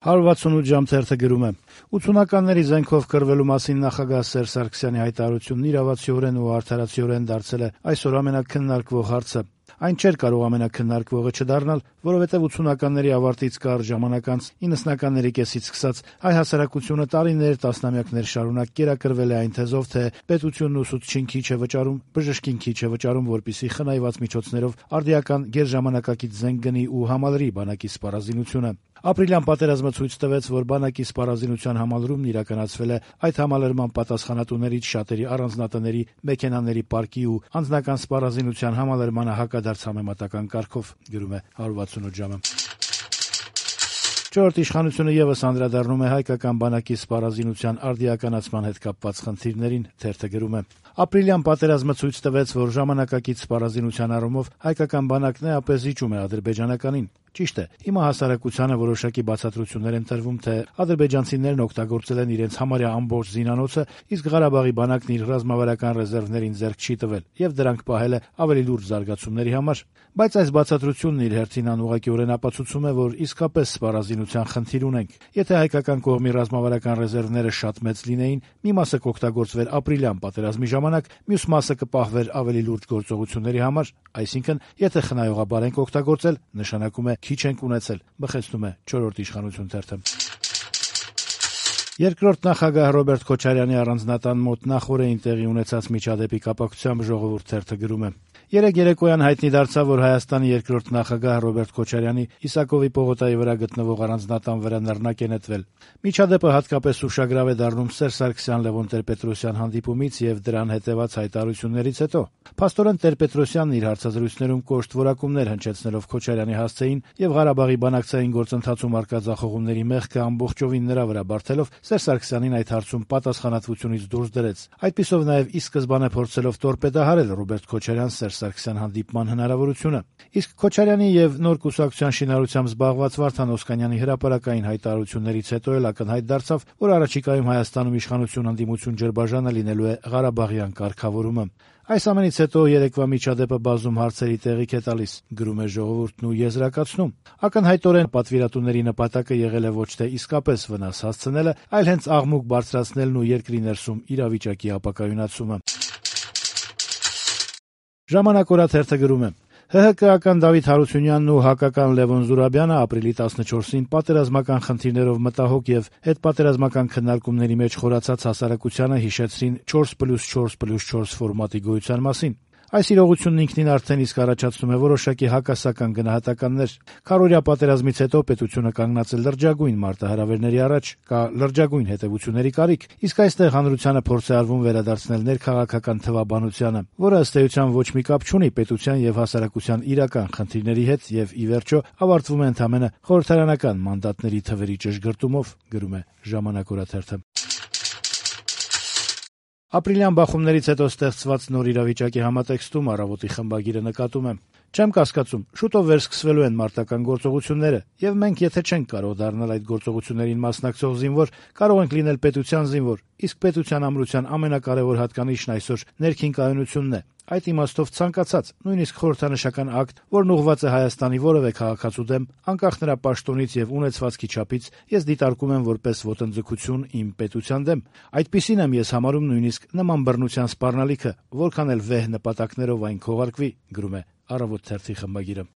168 ժամ թերթը գրում է. 80-ականների զենքով կռվելու մասին նախագահ Սերժ Սարգսյանի հայտարարությունն իրավացիորեն ու արդարացիորեն դարձել է այսօր ամենաքննարկվող հարցը։ Այն չէր կարող ամենաքննարկվողը չդառնալ, որովհետև 80-ականների ավարտից կարճ ժամանակ անց 90-ականների կեսից սկսած հայ հասարակությունը տարիներ, տասնամյակներ շարունակ կերակրվել է այն թեզով, թե պետությունն ուսուցչին քիչ է վճարում, բժշկին քիչ է վճարում, որպեսզի խնայված միջոցներով արդիական գերժամանակակից զենք գնի ու համալրի բանակի սպառազինությունը։ Ապրիլյան պատերազմը ցույց տվեց, որ բանակի սպառազինության համալրումն իրականացվել է այդ համալրման պատասխանատուներից շատերի առանձնատների, մեքենաների պարկի ու անձնական սպառազինության համալրմանը հակադարձ համեմատական կարգով, գրում է 168 ժամը։ Չորրորդ իշխանությունը ևս անդրադառնում է հայկական բանակի սպառազինության արդիականացման հետ կապված խնդիրներին, թերթը գրում է. Ապրիլյան պատերազմը ցույց տվեց, որ ժամանակակից սպառազինության առումով հայկական բանակն էապես զիջում է ադրբեջանականին։ Ճիշտ է, հիմա հասարակությանը որոշակի բացատրություններ են տրվում, թե ադրբեջանցիներն օգտագործել են իրենց համարյա ամբողջ զինանոցը, իսկ Ղարաբաղի բանակն իր ռազմավարական ռեզերվներին ձեռք չի տվել եւ դրանք պահել է ավելի լուրջ զարգացումների համար։ Բայց այս բացատրությունն իր հերթին անուղղակիորեն ապացուցում է, որ իսկապես սպառազինության խնդիր ունենք։ Եթե հայկական կողմի ռազմավարական ռեզերվները շատ մեծ լինեին, մի մասը կօգտագործվեր ապրիլյան պատերազմի ժամանակ, մյուս մասը կպահվեր ավելի լուրջ գործողությունների համար, այսինքն, եթե խնայողաբար ենք օգտագործել, նշանակում է քիչ ենք ունեցել, բխեցնում է չորրորդ իշխանություն թերթը։ Երկրորդ նախագահ Ռոբերտ Քոչարյանի առանձնատան մոտ նախօրեին տեղի ունեցած միջադեպի կապակցությամբ Ժողովուրդ թերթը գրում է. Երեկ երեկոյան հայտնի դարձավ, որ Հայաստանի երկրորդ նախագահ Ռոբերտ Քոչարյանի Իսակովի պողոտայի վրա գտնվող առանձնատան վրա նռնակ է նետվել։ Միջադեպը հատկապես ուշագրավ է դառնում Սերժ Սարգսյան-Լևոն Տեր-Պետրոսյան հանդիպումից եւ դրան հետեւած հայտարարություններից հետո։ Փաստորեն Տեր-Պետրոսյանն իր հարցազրույցներում կոշտ որակումներ հնչեցնելով Քոչարյանի հասցեին եւ Ղարաբաղի բանակցային գործընթացում արկա ձախողումների մեղքը ամբողջովին նրա վրա բարթելով Սերժ Սարգսյանին այդ հարցում պատասխանատվությունից դուրս դրեց։ Այդպիսով նաեւ ի սկզբանե փորձելով տորպեդահարել Ռոբերտ Քոչարյան-Սերժ Սարգսյան հանդիպման հնարավորությունը։ Իսկ Քոչարյանի եւ նոր կուսակցության շինարարությամբ զբաղված Վարդան Օսկանյանի հրապարակային հայտարարություններից հետո էլ ակնհայտ դարձավ, որ առաջիկայում Հայաստանում իշխանություն-ընդդիմություն ջրբաժանը լինելու է Ղարաբաղյան կարգավորումը։ Այս ամենից հետո երեկվա միջադեպը բազում հարցերի տեղիք է տալիս, գրում է Ժողովուրդն ու եզրակացնում. ակնհայտորեն պատվիրատուների նպատակը եղել է ոչ թե իսկապես վնաս հասցնելը, այլ հենց աղմուկ բարձրացնելն ու երկրի ներսում իրավիճակի ապակայունացումը։ Ժամանակ օրաթերթը գրում է. ՀՀԿ-ական Դավիթ Հարությունյանն ու հակական Լևոն Զուրաբյանը ապրիլի 14-ին պատերազմական խնդիրներով մտահոգ եւ հետպատերազմական քննարկումների մեջ խորացած հասարակությանը հիշեցրին 4+4+4 ֆորմատի գոյության մասին։ Այս իրողությունն ինքնին արդեն իսկ առաջացնում է որոշակի հակասական գնահատականներ։ Քառօրյա պատերազմից հետո պետությունը կանգնած է լրջագույն մարտահրավերների առաջ, կա լրջագույն հետևությունների կարիք, իսկ այստեղ հանրությանը փորձ է արվում վերադարձնել ներքաղաքական թվաբանությանը, որը ըստ էության ոչ մի կապ չունի պետության եւ հասարակության իրական խնդիրների հետ եւ ի վերջո ավարտվում է ընդամենը խորհրդարանական մանդատների թվերի ճշգրտումով, գրում է Ժամանակ օրաթերթը։ Ապրիլյան բախումներից հետո ստեղծված նոր իրավիճակի համատեքստում Առավոտի խմբագիրը նկատում է. Չեմ կասկածում, շուտով վերսկսվելու են մարտական գործողությունները, եւ մենք եթե չենք կարող դառնալ այդ գործողություններին մասնակցող զինվոր, կարող ենք լինել պետության զինվոր, իսկ պետության ամրության ամենակարևոր հատկանիշն այսօր ներքին կայունությունն է։ Այդ իմաստով ցանկացած, նույնիսկ խորհրդանշական ակտ, որն ուղղված է Հայաստանի որևէ քաղաքացու դեմ, անկախ նրա պաշտոնից եւ ունեցվածքի չափից, ես դիտարկում եմ որպես ոտնձգություն իմ պետության դեմ։ Այդպիսին եմ ես համարում նույնիսկ նման բռնության սպառնալիքը, որքան էլ վեհ նպատակներով այն քողարկվի, գրում է Առավոտ թերթի խմբագիրը։